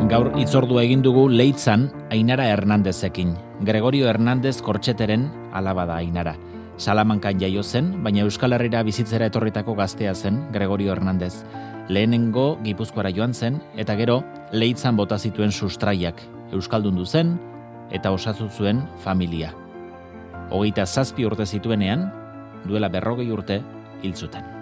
Gaur hitzordua egin dugu Leitzan Ainara Hernandezekin. Gregorio Hernandez Kortxeteren alaba da Ainara. Salamankan jaio zen, baina Euskal Herrira bizitzera etorritako gaztea zen Gregorio Hernandez. Lehenengo Gipuzkoara joan zen, eta gero Leitzan bota zituen sustraiak. Euskaldundu zen eta osatu zuen familia. 27 urte zituenean, duela 40 urte hil zuten.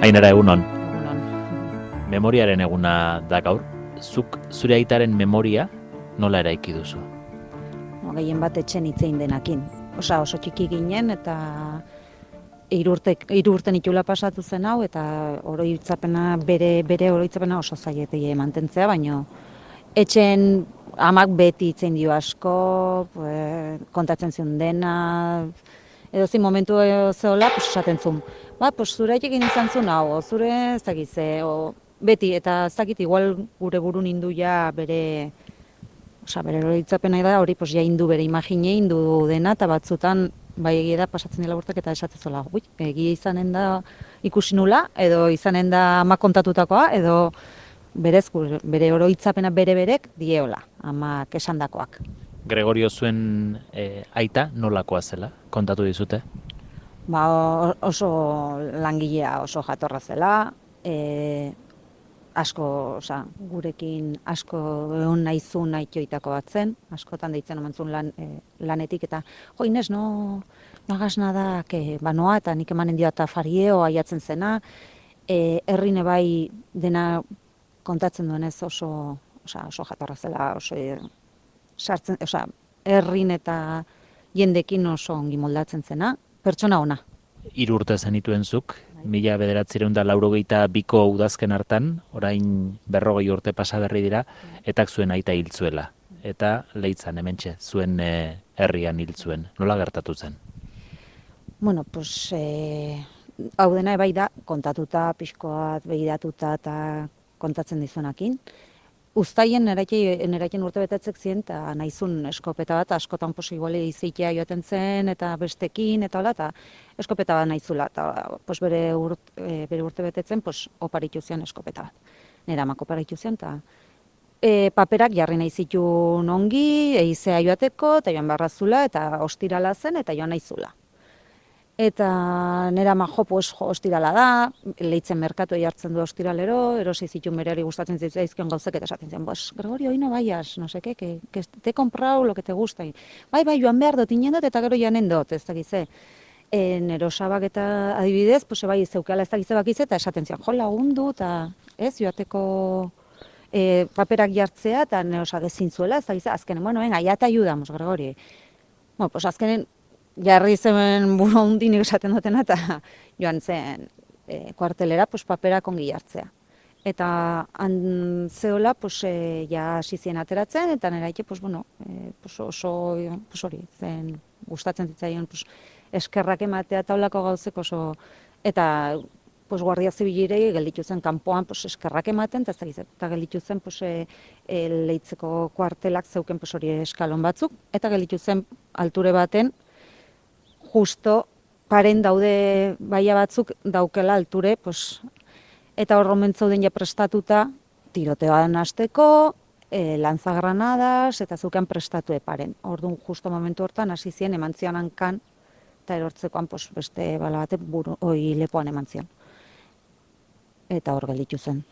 Ainara, egunon. Memoriaren eguna da gaur. Zuk zure aitaren memoria nola eraiki duzu? Gehien bat etxen hitzein denakin. Oso txiki ginen eta 3 urte itxula pasatu zen hau eta oroitzapena bere oroitzapena oso zailetei mantentzea, baino etxen amak beti hitzein dio asko, kontatzen zion dena, edozein momentu zehola, esaten zuen. Zure egin izan zuen hau, zure ez dakit ze, beti, eta ez dakit igual gure burun indu ja bere oroitzapena da, hori ja indu bere imagine, indu dena, eta batzutan bai egia da pasatzen dela urtek eta esatzen zola, egia izanen da ikusi nula, edo izanen da ama kontatutakoa, edo bere oroitzapena berek dieola, amak esandakoak. Gregorio zuen aita nolakoa zela, kontatu dizute? Oso langilea, oso jatorra zela, asko, gurekin asko egon naizun aitioitako bat zen, askotan deitzen oman zuen lanetik, eta Inés, no hagas nada, noa, eta nik emanen dio eta fario aiatzen zena, herrine bai dena kontatzen duenez oso jatorra zela, herrin eta jendekin oso ongi moldatzen zena, pertsona ona. 3 urte zenituen zuk, 1982ko udazken hartan, orain 40 urte pasa berri dira, etak zuen aita hil zuela. Eta Leitzan hementxe, zuen herrian hil zuen. Nola gertatu zen? Hau dena bai da, kontatuta, pixkoat, begiratuta eta kontatzen dizunakin. Uztaien neraiten urte betetzek ziren, eta nahizun eskopeta bat, askotan iguale izeitea joaten zen, eta bestekin, eta hola, eta eskopeta bat nahizula, eta bere urte betetzen, oparitu zian eskopeta bat. Nera amak oparitu zian, eta paperak jarri nahi zituen ongi, eizea joateko, eta joan barrazula, eta ostirala zen, eta joan nahizula. Eta nera ama ostirala da, Leitzen merkatu jartzen du ostiralero, erosi zituen berari gustatzen zaizkion gauzek eta esaten zen, Gregorio, hoy no vayas, no sé qué, que te he comprado lo que te gusta. Bai, joan behar dut, inen dut eta gero janen dut, ez dakize. Nero sabak eta adibidez, bai zeukala ez dakize bakize, eta esaten zian, lagundu, eta ez, joateko paperak jartzea, eta nero sagezin zuela, ez dakize, azkenen, venga, ya te ayudamos, Gregorio. Azkenen, jarri zen buru hundinik esaten dutena, eta joan zen kuartelera paperak ongi jartzea. Eta zehola, ja hasi zien ateratzen, eta neraite, oso hori, zen gustatzen zitzaion, eskerrak ematea taulako gauzek oso, eta Guardia Zibilirei gelditu zen kanpoan eskerrak ematen, eta gelditu zen Leitzeko kuartelak zeuken hori eskalon batzuk, eta gelditu zen alture baten, justo paren daude baia batzuk daukela alture, eta horromen zauden ja prestatuta, tiroteoan hasteko, lanzagranadas, eta zeuken prestatu paren. Orduan, justo momentu hortan, hasi zien, eman zion hankan, eta erortzekoan beste bala batek lepoan eman zion. Eta hor gelditu zen.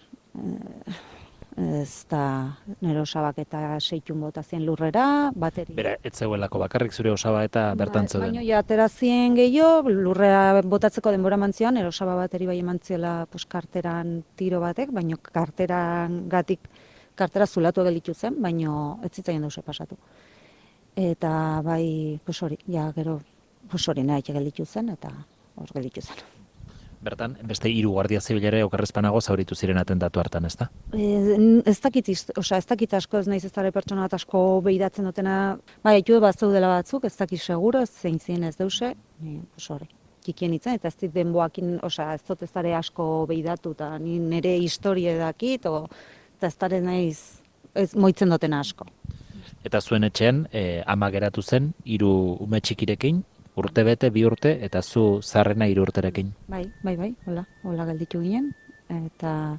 Ez da nero osabak eta 6 bota zien lurrera, bateri. Bera, ez zegoelako bakarrik zure osaba eta bertan zeuden. Baina ja atera zien gehiago, lurrera botatzeko denbora eman zion, nero osaba bateri bai eman ziela karteran tiro batek, baina kartera zulatu gelditu zen, baina ez zitzaien dause pasatu. Eta bai, hori, ja gero, hori nahi gelditu zen, eta hor gelditu zen. Bertan, beste 3 guardia zibilere okerrezpanago zauritu ziren atentatu hartan, ez da? Ez dakit asko, ez naiz ez dara pertsona bat asko behidatzen dutena, haitu bat zaudela batzuk, ez dakit seguro, ez zein ziren ez deuse, hori, kikien itzen, eta ez dit denboakin, ez dut ez dara asko behidatu, eta nire historia dakit, eta ez dara naiz moitzen dutena asko. Eta zuen etxean ama geratu zen 3 ume txikirekin, urte bete, 2 urte, eta zu zarrena 3 urterekin. Bai, hola gelditu ginen, eta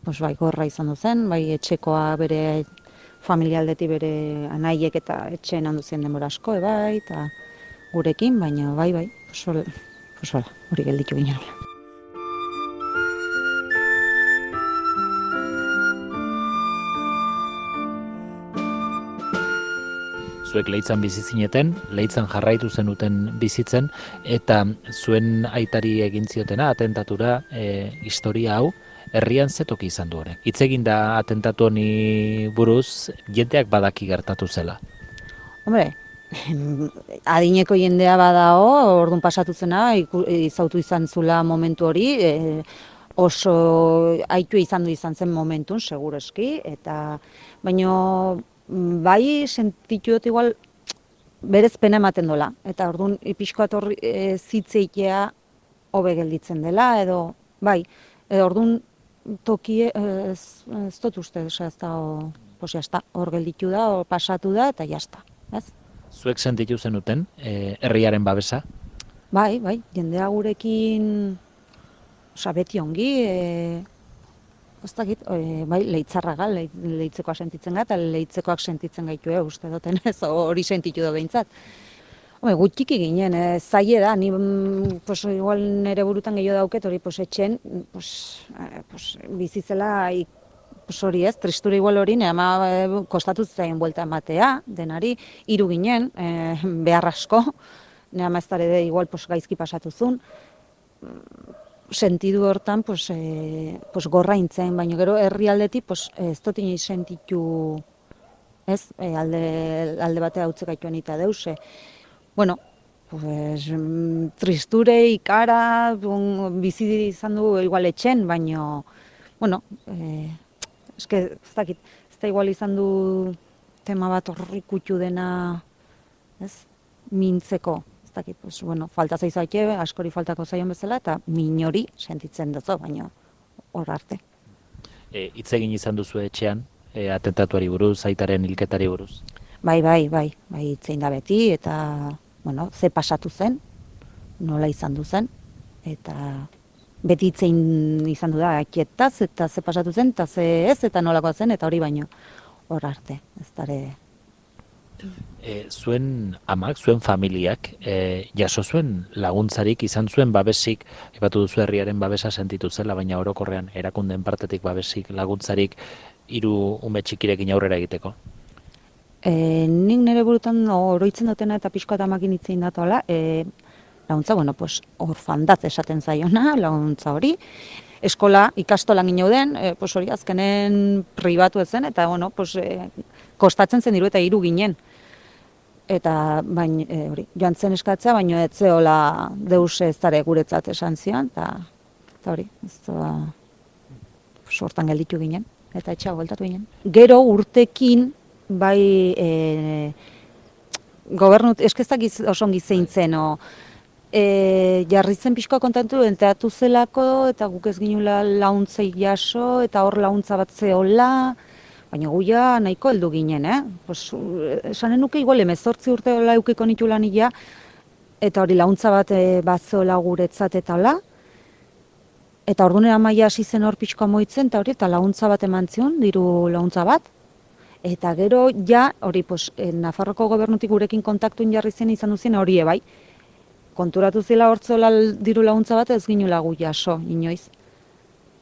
bai, gorra izan zen, bai etxekoa bere familialdetik bere anaiek eta etxeen handu zen denbora asko, bai, eta gurekin, baina bai, hori gelditu ginen. Zuek Leitzan bizi zineten, Leitzan jarraitu zenuten bizitzen, eta zuen aitari egin ziotena, atentatura, historia hau, herrian zetoki izan du horrek. Hitz egin da atentatu honi buruz, jendeak badaki gertatu zela. Hombre, adineko jendea badao, orduan pasatu zena, izautu izan zula momentu hori, oso aitu izan zen momentun, segureski, eta baino bai sentitu dut igual berez pena ematen dola, eta orduan pixkoat hor zitzeitea hobe gelditzen dela, edo bai, orduan tokie ez dut uste, ez da, hor gelditu da, hor pasatu da, eta jazta, ez? Zuek sentitu zenuten, herriaren babesa? Bai, jendea gurekin, beti ongi, bai, leitzarraga, leitzekoak sentitzen gara, eta leitzekoak sentitzen gaitu, uste duten ez, hori sentitu da behintzat. Gutxiki ginen, zaila da, ni igual nire burutan gehiago dauket, hori etxen, bizizela, hori ez, tristura igual hori, ama kostatu zaien buelta ematea, denari, 3 ginen, behar asko, nire ama ez dara igual gaizki pasatu zuen, sentidu hortan gorra intzen, baina gero herrialdetik ez dut inoiz sentitu, ez, alde batea hautzek gaituen eta deuse. Bueno, tristure, ikara, bizi izan du igual etxen, baina, bueno, ez dakit, ez da igual izan du tema bat horrikutu dena, ez, mintzeko. Falta zaizaike, askori faltako zaion bezala, eta minori sentitzen duzu, baina hor arte. Hitz egin izan duzu etxean, atentatuari buruz, aitaren hilketari buruz? Bai, hitzein da beti, eta, ze pasatu zen, nola izan du zen, eta beti hitzein izan du da, akietaz, eta ze pasatu zen, eta ze ez, eta nolakoa zen, eta hori baino hor arte, ez dara. Zuen amak, zuen familiak, jaso zuen laguntzarik, izan zuen babesik, epatu duzu herriaren babesa sentitu zela, baina orokorrean erakundeen partetik babesik, laguntzarik 3 ume txikirekin aurrera egiteko? Nik nire burutan oroitzen dutena eta pixko eta amakin itzein datola, laguntza, orfandatz esaten zaiona, laguntza hori, eskola, ikastolan ginen, hori azkenen pribatu ezen, eta kostatzen zen diru eta 3 ginen. Eta hori, joan zen eskatzea, baina ez zehola deuse ez dara guretzat esan zion, eta hori, ez da sortan gelditu ginen, eta etxea bueltatu ginen. Gero urtekin, bai, gobernut, eskezak oso ongi zeintzen, jarri zen pixkoa kontatu enteatu zelako, eta guk ez ginula launtzei jaso, eta hor launtza bat zehola, baina guia nahiko heldu ginen, esanen nuke igual 18 urte hola eukiko nitu lan ia, eta hori launtza bat batzeola guretzat eta hola, eta ordunera maia hasi zen hor pixkoa moitzen, eta hori, eta launtza bat eman zion, diru launtza bat, eta gero ja, hori, Nafarroko gobernutik gurekin kontaktuen jarri zen izan duzien hori bai, konturatu zela hortzola diru launtza bat ez ginula gu jaso, inoiz.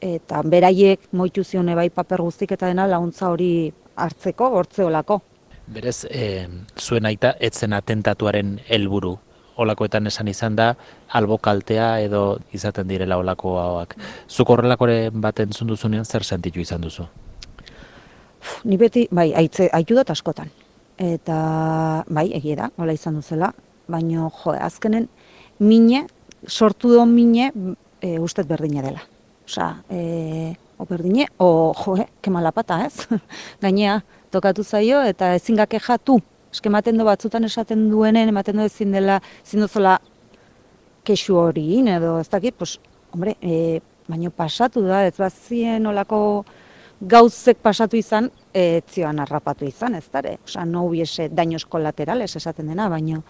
Eta beraiek moitu zion bai paper guztik eta dena launtza hori hartzeko, hortzeolako. Berez, zuen aita, etzen atentatuaren helburu. Olakoetan esan izan da, albokaltea edo izaten direla olako hauak. Zuk horrelakoren bat entzun duzunean zer sentitu izan duzu? Ni beti, haitu dut askotan. Eta, egia da, hola izan duzela, baina, azkenen, sortu do mine, ustet berdina dela. Berdine, kemalapata, ez? Gainea, tokatu zaio, eta ezin gake jatu. Ematen du batzutan esaten duenen, ematen du ezin dela, ezin duzola kexu hori, edo ez dakit, baina pasatu da, ez bazien olako gauzek pasatu izan, zioan harrapatu izan, ez dara? Osa, no hubiese daños colaterales esaten dena, baino,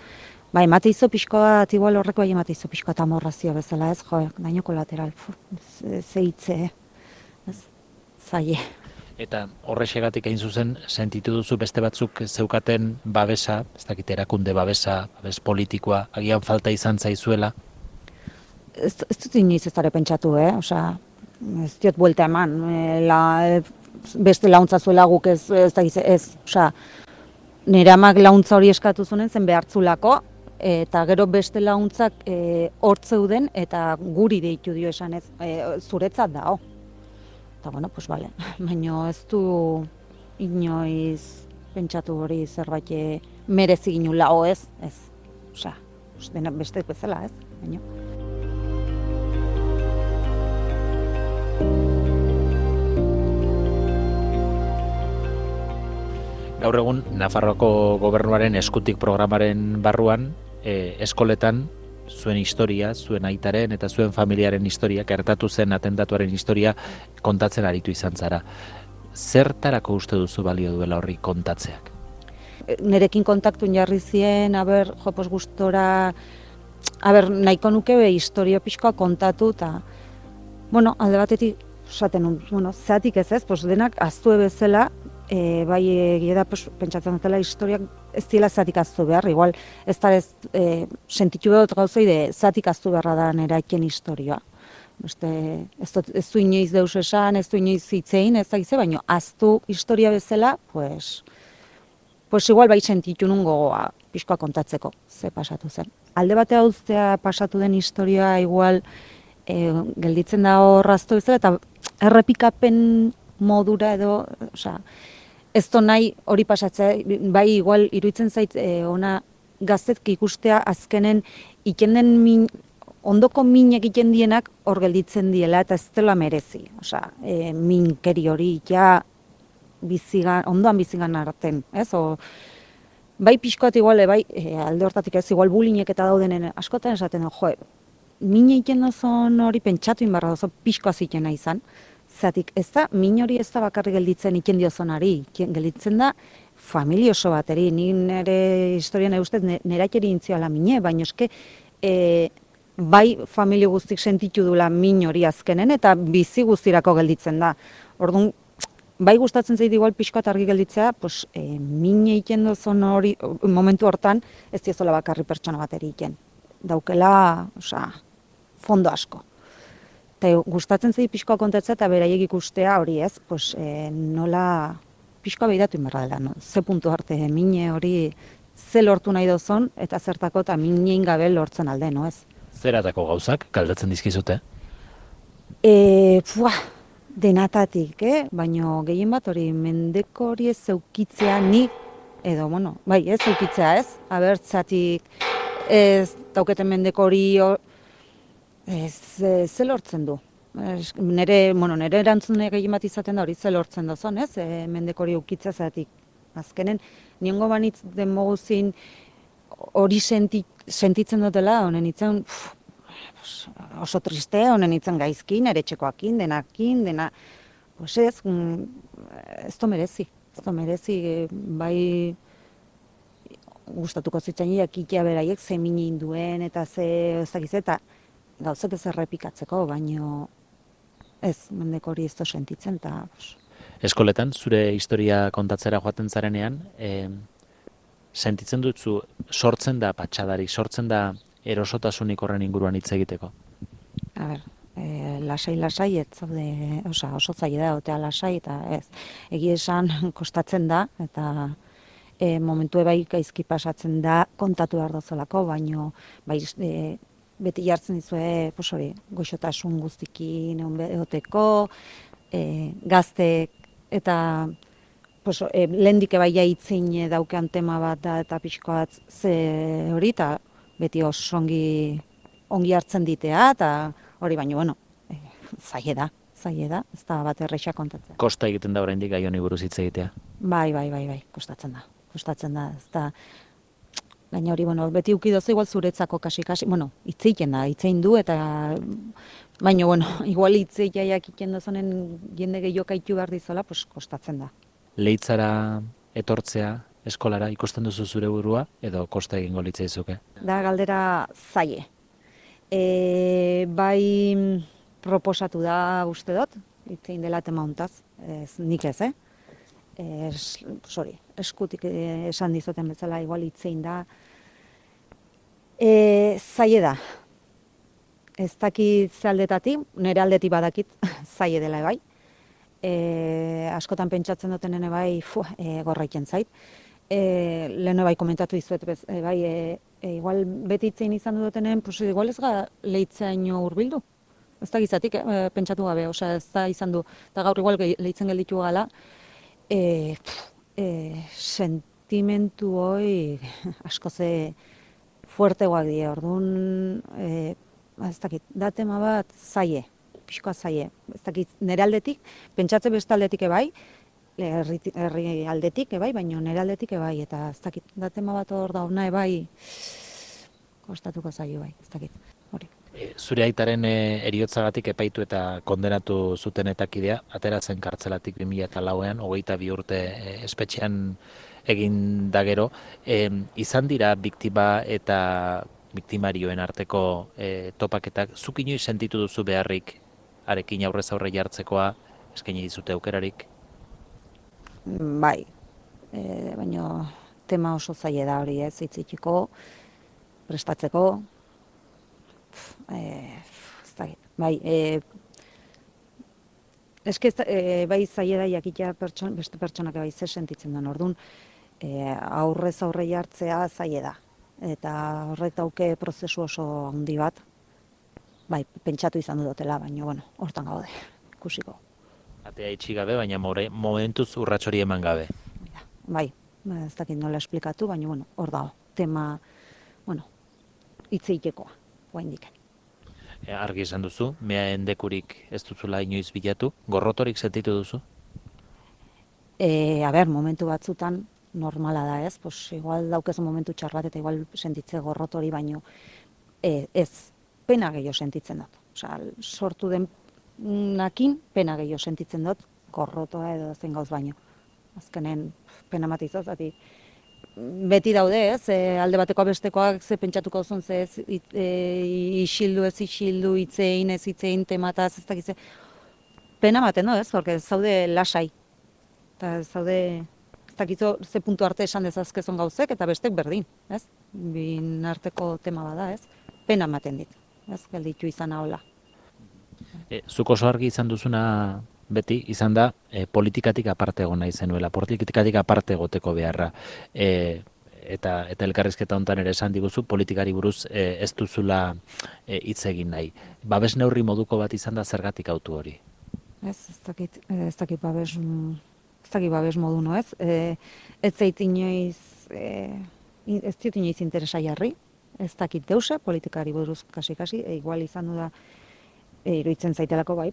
bai, emate izo pixkoa, igual horreko bai emate izo pixkoa eta morrazio bezala, ez, jo, daño colateral, zeitze, ez, zaie. Eta horrexegatik hain zuzen, sentitu duzu beste batzuk zeukaten babesa, ez dakit erakunde babesa, babes politikoa, agian falta izan zaizuela? Ez dut inoiz ez dara pentsatu, osea, ez diot buelta eman, beste launtza zuela guk ez dakiz, osea, nire amak launtza hori eskatu zunen zen behartzulako, eta gero beste launtzak hortzeuden eta guri deitu dio esan ez, zuretzat dao. Eta bueno, pues vale, baina ez du inoiz pentsatu hori zerbait merezi ginula, ez, osea, beste bezala, ez, baina. Gaur egun, Nafarroako gobernuaren eskutik programaren barruan, eskoletan, zuen historia, zuen aitaren eta zuen familiaren historia, gertatu zen atentatuaren historia kontatzen aritu izan zara. Zertarako uste duzu balio duela horri kontatzeak? Nerekin kontaktun jarri zien, jopos gustora, nahiko nuke historio pixkoa kontatu, eta, bueno, alde batetik, esaten, zeatik ez, denak aztue bezala, bai egia da pentsatzen dutela historiak ez dira zatik aztu behar, igual ez da sentitu behar gauzei zatik aztu beharra da neraken historioa. Ez du inoiz deus esan, ez du inoiz hitzein, ez da gize, baina aztu historia bezala, pues igual bai sentitu nun gogoa pixkoa kontatzeko, ze pasatu zen. Alde batea uztea pasatu den historia igual gelditzen da horraztu bezala, eta errepikapen modura edo, osea, ez do nahi hori pasatzea, bai igual iruditzen zait ona gaztetk ikustea azkenen ikenden ondoko min egiten dienak hor gelditzen diela eta ez dela merezi. Osea, minkeri hori ja ondoan bizigan arten, ez? Bai pixkoat igual, bai alde hortatik ez, igual bulinek eta daudenen askotan esaten, min egiten dozon hori pentsatu inbarra dozo pixkoa zitena izan. Zatik, ez da, min hori ez da bakarri gelditzen iken diozonari, gelditzen da familia oso bateri, ni nire historian ustez nerakeri intzioala mine, baina eske bai familia guztik sentitu dula min hori azkenen eta bizi guztirako gelditzen da. Orduan, bai gustatzen zait igual pixkoat argi gelditzea, min egiten dozon hori, momentu hortan, ez diozola bakarri pertsona bateri iken. Daukela, fondo asko. Eta gustatzen zait pixkoa kontatzea eta beraiek ikustea hori ez, nola pixkoa behiratu inberra dela, ze puntu arte mine hori ze lortu nahi dozon eta zertako eta minein gabe lortzen alde, no ez? Zeratako gauzak, galdatzen dizkizute? Denatatik, baina gehien bat hori mendeko hori ez zeukitzea nik, edo, bai ez zeukitzea ez, abertzatik ez dauketen mendeko hori ze lortzen du. Nere erantzune gehien bat izaten da hori ze lortzen dozon, ez? Mendeko hori ukitzea zatik. Azkenen, niongo banitz den moguzin hori sentitzen dutela, honen itzen oso triste, honen itzen gaizkin, ere txekoakin, denakin, pues ez do merezi. Ez do merezi, bai gustatuko zitzen jakitea beraiek ze minin duen eta ze ezagiz eta gauzak ez errepikatzeko, baino ez, mendeko hori ez do sentitzen, eta... Eskoletan, zure historia kontatzera joaten zarenean, sentitzen dutzu, sortzen da patxadarik, sortzen da erosotasunik horren inguruan hitz egiteko? Lasai, ez zaude, oso zaila da, otea lasai, eta ez, egia esan kostatzen da, eta momentu bai gaizki pasatzen da, kontatu behar dozolako, baino, beti jartzen dizue, goxotasun guztikin egoteko, gaztek, eta lehendik bai jaitzin daukean tema bat da, eta pixkoat ze hori, eta beti oso ongi hartzen ditea, eta hori baino, zaila da, ez da bat erreixa kontatzen. Kosta egiten da oraindik gai honi buruz hitz egitea? Bai, kostatzen da, ez da, gaina hori, beti ukidozu igual zuretzako kasi, hitzein du, eta baina, igual hitzeia jakiten dozonen jende gehiokaitu behar dizola, kostatzen da. Leitzara etortzea eskolara ikusten duzu zure burua edo kosta egingo litzaizuke? Da galdera zaie. Bai proposatu da uste dut, itzein dela tema hontaz, nik ez, eskutik esan dizoten bezala igual itzein da. Zaie da. Ez dakit ze aldetatik, nire aldetik badakit zaie dela bai. Askotan pentsatzen duten bai, gorraiten zait. Lehen bai komentatu dizuet, bai, igual beti itzein izan dutenen, pues igual ez ga leitzaino hurbildu. Ez da gizatik, pentsatu gabe, osea ez da izan du, eta gaur igual leitzen gelditu gala, sentimentu hoi asko ze fuertegoak die, orduan, ez dakit, da tema bat zaie, pixkoa zaie, ez dakit, nire aldetik, pentsatze beste aldetik ebai, herri aldetik ebai, baina nire aldetik ebai, eta ez dakit, da tema bat hor da hona ebai, kostatuko zaio bai, ez dakit, hori. Zure aitaren eriotzagatik epaitu eta kondenatu zuten etakidea, atera zen kartzelatik 2004an, 22 urte espetxean egin da gero. Izan dira biktima eta biktimarioen arteko topaketak, zuk inoiz sentitu duzu beharrik arekin aurrez aurre jartzekoa, eskaini dizute aukerarik? Bai, baina tema oso zaila da hori ez, hitzitiko, prestatzeko, ez dakit, bai, eske bai zaila da jakitea beste pertsonak bai ze sentitzen den, orduan, aurrez aurre jartzea zaila da, eta horrek dauke prozesu oso handi bat, bai, pentsatu izan dutela, baina, bueno, hortan gaude, ikusiko. Atea itxi gabe, baina momentuz urrats hori eman gabe. Bai, ez dakit nola esplikatu, baina, bueno, hor dago, tema, bueno, hitzeitekoa, oraindik. Argi esan duzu, mea endekurik ez duzula inoiz bilatu, gorrotorik sentitu duzu? Momentu batzutan normala da ez, pues igual daukezu momentu txar bat eta igual sentitze gorrotori baino ez, pena gehiago sentitzen dut. Osea, sortu den nakin pena gehiago sentitzen dut gorrotoa edo zen gauz baino. Azkenen pena matizoz, beti daude ez, alde batekoa bestekoak ze pentsatuko duzun, ze ez isildu ez isildu, hitzein ez hitzein temataz, ez dakize. Pena maten ez, porque zaude lasai. Eta zaude, ez dakizu ze puntu arte esan dezazkezon gauzek, eta bestek berdin, ez? Bin arteko tema bada, ez? Pena maten dit, ez? Gelditu izan hola. Zuk oso argi izan duzuna beti izan da politikatik aparte egon nahi zenuela, politikatik aparte egoteko beharra. Eta elkarrizketa hontan ere esan diguzu, politikari buruz ez duzula hitz egin nahi. Babes neurri moduko bat izan da zergatik autu hori? Ez dakit babes modu, no ez? Ez zait inoiz, ez diot inoiz interesa jarri, ez dakit deuse, politikari buruz kasi, igual izan du da, iruditzen zaitelako bai,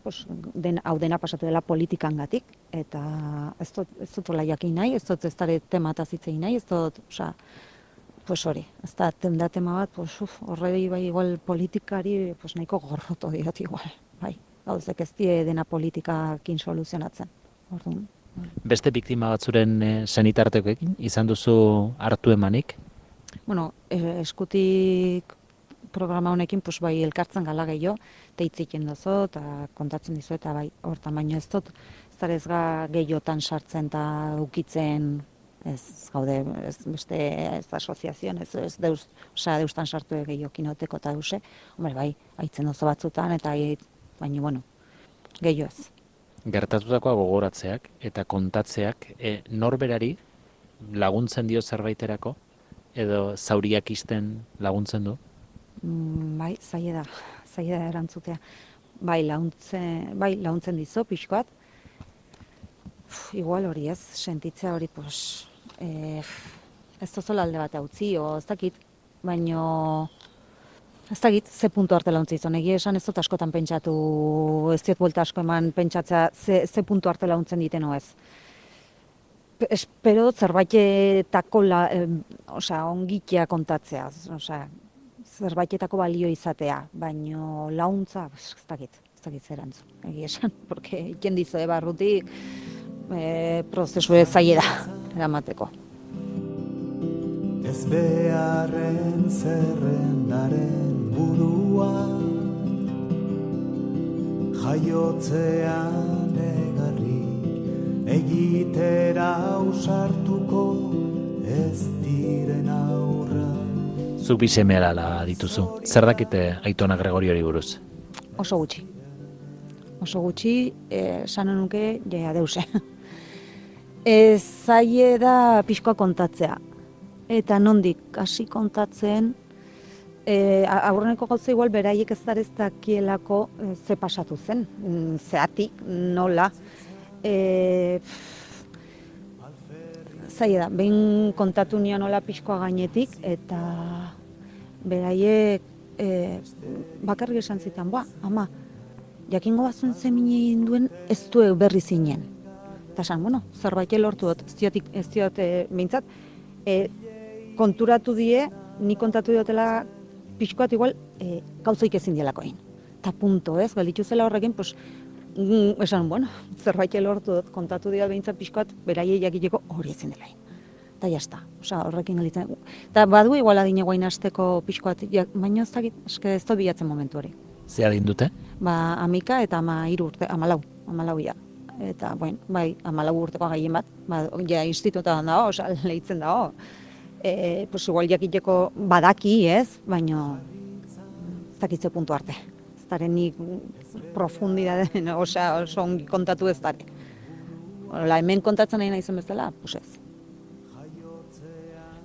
hau dena pasatu dela politikangatik, eta ez dut jakin nahi, ez dut ez dara temataz hitzein nahi, ez dut, pues hori, ez da tema bat, horrei bai igual politikari nahiko gorroto diot igual, bai, gauzek ez die dena politikakin soluzionatzen, orduan. Beste biktima batzuren senitartekoekin izan duzu hartu emanik? Bueno, eskutik programa honekin bai elkartzen gala gehiago, eta hitziken dozo, eta kontatzen dizu, eta bai, hortan baino ez dut, ez ga gehiotan sartzen eta ukitzen, ez gaude, ez beste ez asoziazioan, ez deustan sartu gehiago kinoteko eta deuse, hombre, bai, haitzen dozo batzutan, eta baino, bueno, gehiago ez. Gertatutakoa gogoratzeak eta kontatzeak norberari laguntzen dio zerbaiterako, edo zauriak isten laguntzen du? Bai, zaila da erantzutea. Bai, laguntzen dizu, pixkoat. Igual hori ez, sentitzea hori, ez tozola alde bat utzi, ez dakit, baino, ez dakit, ze puntu arte launtzi izan. Egia esan ez dut askotan pentsatu, ez diot buelta asko eman pentsatzea, ze puntu arte launtzen diteno ez. Espero zerbaitetako ongitea kontatzea, zerbaitetako balio izatea, baino launtza, ez dakit zerantzun, egia esan, porque iken dizu barrutik, prozesu zaila da eramateko. Ez beharren zerrendaren burua, jaiotzean egarrik egitera ausartuko ez diren aurra. Zuk bi seme alaba dituzu. Zer dakite Aitona Gregoriori buruz? Oso gutxi. Oso gutxi, esan nuke, ja deuse. Zaila da pixkoa kontatzea. Eta nondik hasi kontatzen, aurreneko gauza igual beraiek ez dakielako ze pasatu zen, zeatik, nola. Zaila da, behin kontatu nion nola pixkoa gainetik, eta beraiek bakarrik esan zitan, ama, jakingo bazuen zeminen duen ez du berri zinen. Eta esan, zerbait lortu dut, ez diot behintzat, konturatu die, ni kontatu diotela pixkoat igual gauzaik ezin dielako egin. Eta punto, ez, galditu zela horrekin, esan, zerbait lortu dut, kontatu dira behintzat pixkoat, beraiei jakiteko hori ezin dela egin. Eta jazta, horrekin galitzen. Eta badu igual adine guain hasteko pixkoat, baina ez dakit, ez dut bilatzen momentu hori. Ze adin dute? Amika eta 13 urte, 14 ia. Eta, bai, 14 urteko gehien bat, ja institutoan dago, lehitzen dago. Igual jakiteko badaki, ez, baina ez dakitze puntu arte. Ez daren nik profundidaden, oso ongi kontatu ez dara. Hemen kontatzen nahi naizen bezala, ez.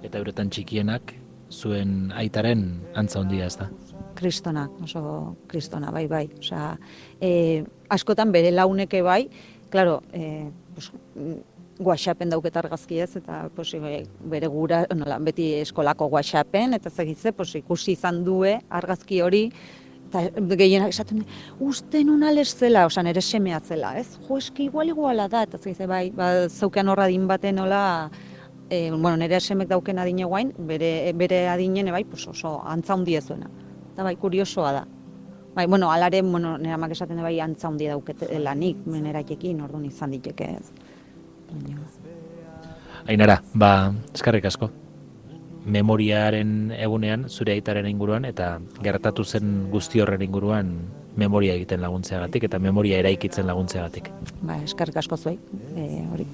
Eta euretan txikienak, zuen aitaren antza hondia ez da? Kristona, oso kristona, bai. Askotan bere launeke bai, klaro, WhatsAppen dauket argazki ez, eta bere gura, beti eskolako WhatsAppen, eta zegitze, ikusi izan due argazki hori, eta gehienak esaten du, uste nun ales zela, nere semea zela, ez? Eski iguala da, eta zegitze, bai, zaukean horra din baten nola, nere semek dauken adine guain, bere adinen, bai, oso antza handia zuena. Eta bai, kuriosoa da. Bai, alare, nire amak esaten bai, antza handia dauketela nik, meneraikekin, orduan izan diteke ez. Ainara, eskerrik asko. Memoriaren egunean, zure aitaren inguruan, eta gertatu zen guzti horren inguruan memoria egiten laguntzeagatik, eta memoria eraikitzen laguntzeagatik. Eskerrik asko zuei, hori,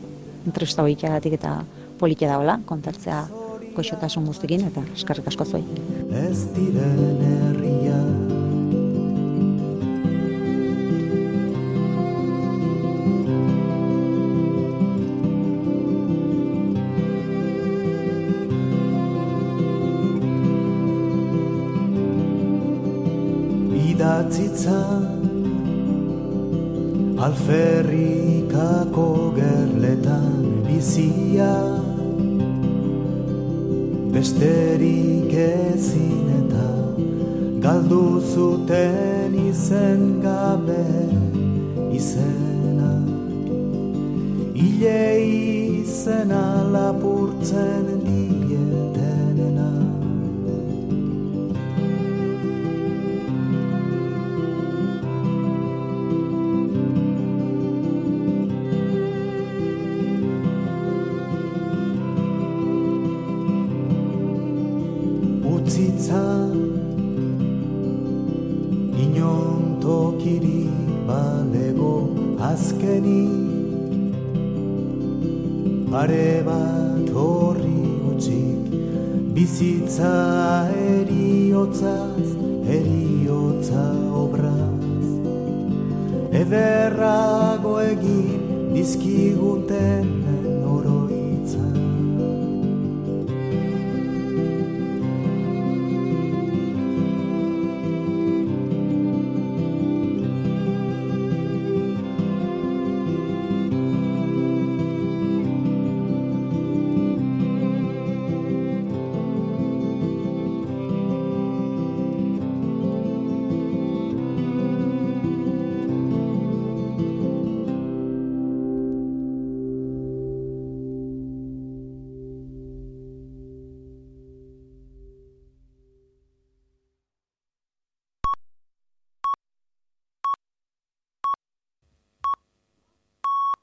entrevista horiagatik eta politia daola, kontatzea goxotasun guztikin, eta eskerrik asko zuei. Ez diren herria idatzitzan alferrikako gerletan bizia besterik ezin eta galdu zuten izen gabe izenak hile izena lapurtzen dietenena. Utzitzan inon tokirik balego azkenik pare bat horri utzik bizitza eriotzaz eriotza obraz ederrago egin dizkiguten